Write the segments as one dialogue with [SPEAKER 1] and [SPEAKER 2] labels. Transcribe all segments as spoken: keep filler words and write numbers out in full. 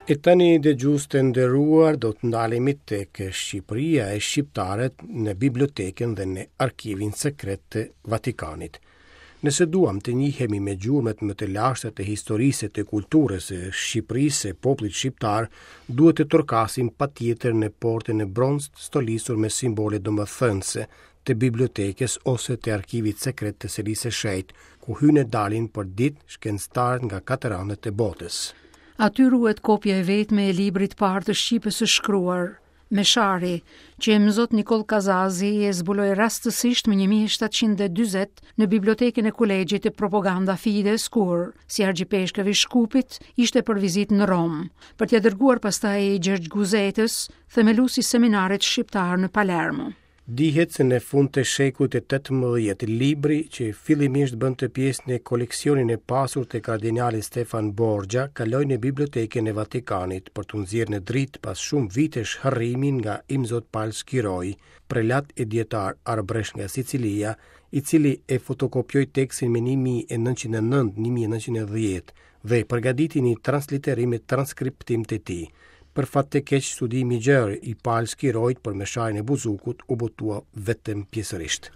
[SPEAKER 1] E tani, dëgjues të nderuar, do të ndalemi tek Shqipëria e shqiptarët në bibliotekën dhe në arkivin sekret të Vatikanit. Nëse duam të njihemi me gjurmët më të lashta të historisë e të kulturës së Shqipërisë e popullit shqiptar, duhet të trokasim patjetër në portën e bronztë stolisur me simbole domethënëse të bibliotekës ose të arkivit sekret të Selisë së Shenjtë, ku hynë e dalin për ditë shkencëtarët nga katër anët e botës.
[SPEAKER 2] Aty ruhet kopja e vetme e librit parë të shqipes së shkruar, Meshari, që Imzot Nikoll Kazazi e zbuloi rastësisht më një mijë e shtatëqind e dyzet në bibliotekën e Kolegjit të Propaganda Fides, kur, si argjipeshkëv i Shkupit, ishte për vizitë në Romë, për t'ia dërguar pastaj Gjergj Guzetës, themelues i seminarit shqiptar në Palermo.
[SPEAKER 1] Dihet se në fund të shekullit të tetëmbëdhjetë, libri që fillimisht bënte pjesë në koleksionin e pasur të kardinalit Stefan Borgia, kaloi në bibliotekën e Vatikanit për t'u nxjerrë në dritë pas shumë vitesh harrimi nga Imzot Pal Skiroi, prelat e dietar arbresh nga Sicilia, i cili e fotokopjoi tekstin më një mijë e nëntëqind e nëntë, një mijë e nëntëqind e dhjetë dhe përgatiti një transliterim e transkriptim të tij. Për fat të keq, studimi i gjerë i Pal Skiroit për Mesharin e Buzukut u botua vetëm pjesërisht.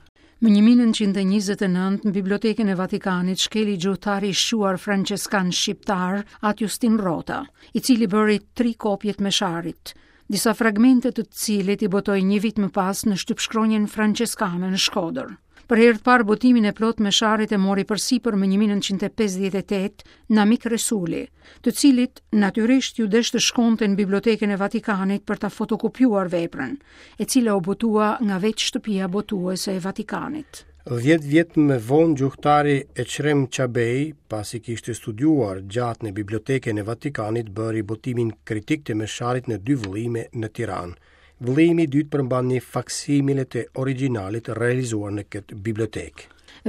[SPEAKER 2] Më një mijë e nëntëqind e njëzet e nëntë, në Bibliotekën e Vatikanit shkeli gjuhtari i shquar franceskan shqiptar At Justin Rota, i cili bëri tri kopje të Mesharit, disa fragmente të cilit i botoi një vit më pas në shtypshkronjën franceskane në Shkodër. Për herë të parë botimin e plot Mesharit e mori përsipër më një mijë e nëntëqind e pesëdhjetë e tetë Namik Resuli, të cilit natyrisht ju desh të shkonte në Bibliotekën e Vatikanit për ta fotokopjuar veprën, e cila u botua nga vetë shtëpia botuese e Vatikanit.
[SPEAKER 1] Dhjetë vjet më vonë gjuhtari Eqrem Çabej, pasi kishte studiuar gjatë në Bibliotekën e Vatikanit, bëri botimin kritik të Mesharit në dy vëllime në Tiranë. Vëllimi i dytë përmban një faksimile të origjinalit realizuar në këtë bibliotekë.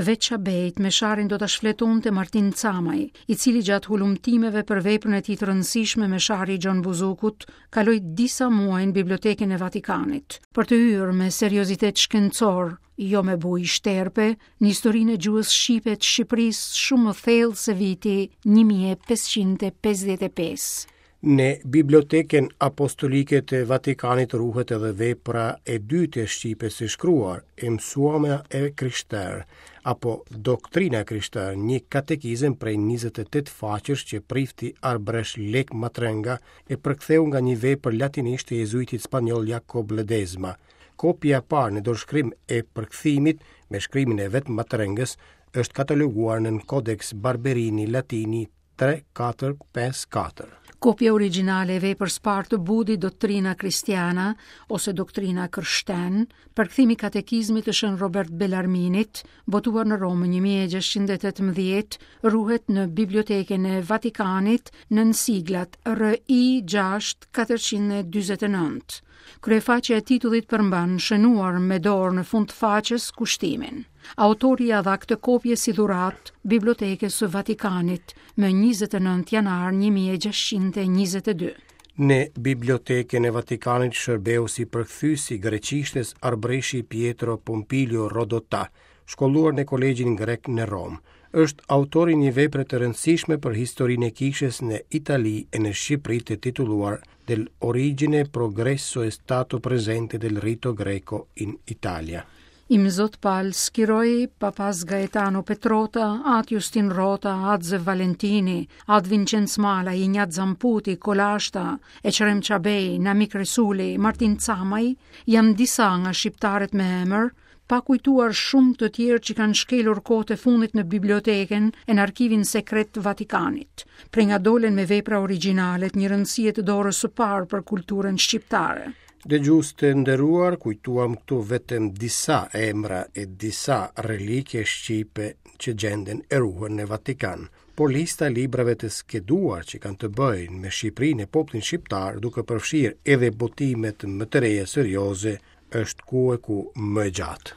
[SPEAKER 2] Veç Çabejt, Mesharin do ta shfletonte Martin Camaj, i cili gjatë hulumtimeve për veprën e tij të rëndësishme Meshari i Gjon Buzukut, kaloi disa muaj në Bibliotekën e Vatikanit, për të hyrë me seriozitet shkencor, jo me bujë shterpe, në historinë e gjuhës shqipe të Shqipërisë shumë më thellë se viti një mijë e pesëqind e pesëdhjetë e pesë.
[SPEAKER 1] Në Bibliotekën Apostolike të Vatikanit ruhet edhe vepra e dytë e shqipes së shkruar, e mësuamja e krishterë, apo doktrina e krishterë, një katekizëm prej njëzet e tetë faqesh që prifti Arbresh Lek Matrënga e përktheu nga një vepër latinisht e jezuitit spanjoll Jacob Ledesma. Kopja e parë në dorëshkrim e përkthimit me shkrimin e vetë Matrëngës është kataloguar në Codex Barberini Latini tre katër pesë katër.
[SPEAKER 2] Kopja origjinale e veprës parë të Budit, Doktrina Kristiana ose Doktrina Kërshten, përkthimi i katekizmit të Shën Robert Bellarminit, botuar në Romë një mijë e gjashtëqind e tetëmbëdhjetë, ruhet në Bibliotekën e Vatikanit nën siglat R I gjashtë katërqind e dyzet e nëntë. Kryefaqja e titullit përmban shënuar me dorë në fund të faqes kushtimin. Autori ia dha këtë kopje si dhuratë Bibliotekës së Vatikanit më njëzet e nëntë janar një mijë e gjashtëqind e njëzet e dy.
[SPEAKER 1] Në Bibliotekën e Vatikanit shërbeu si përkthyes i greqishtes arbreshi Pietro Pompilio Rodotà, shkolluar në Kolegjin Grek në Romë. Është autori një vepre të rëndësishme për historinë e kishës në Itali e në Shqipëri të titulluar Del origine, progresso e stato presente del rito greco in Italia.
[SPEAKER 2] Imzot Pal Skiroi, Papas Gaetano Petrota, At Justin Rota, At Zef Valentini, At Vincenz Mala, Ignat Zamputi, Kolashta, Eqrem Çabej, Namik Resuli, Martin Camaj, janë disa nga shqiptarët me emër, pa kujtuar shumë të tjerë që kanë shkelur kohët e fundit në bibliotekën e në arkivin sekret të Vatikanit, prej nga dolën me vepra origjinale të një rëndësie të dorës së parë për kulturën shqiptare.
[SPEAKER 1] Dëgjues të nderuar, kujtuam këtu vetëm disa emra e disa relike shqipe që gjenden e ruhen në Vatikan, por lista e librave të skeduar që kanë të bëjnë me Shqipërinë e popullin shqiptar, duke përfshirë edhe botimet më të reja serioze, është ku e ku më e gjatë.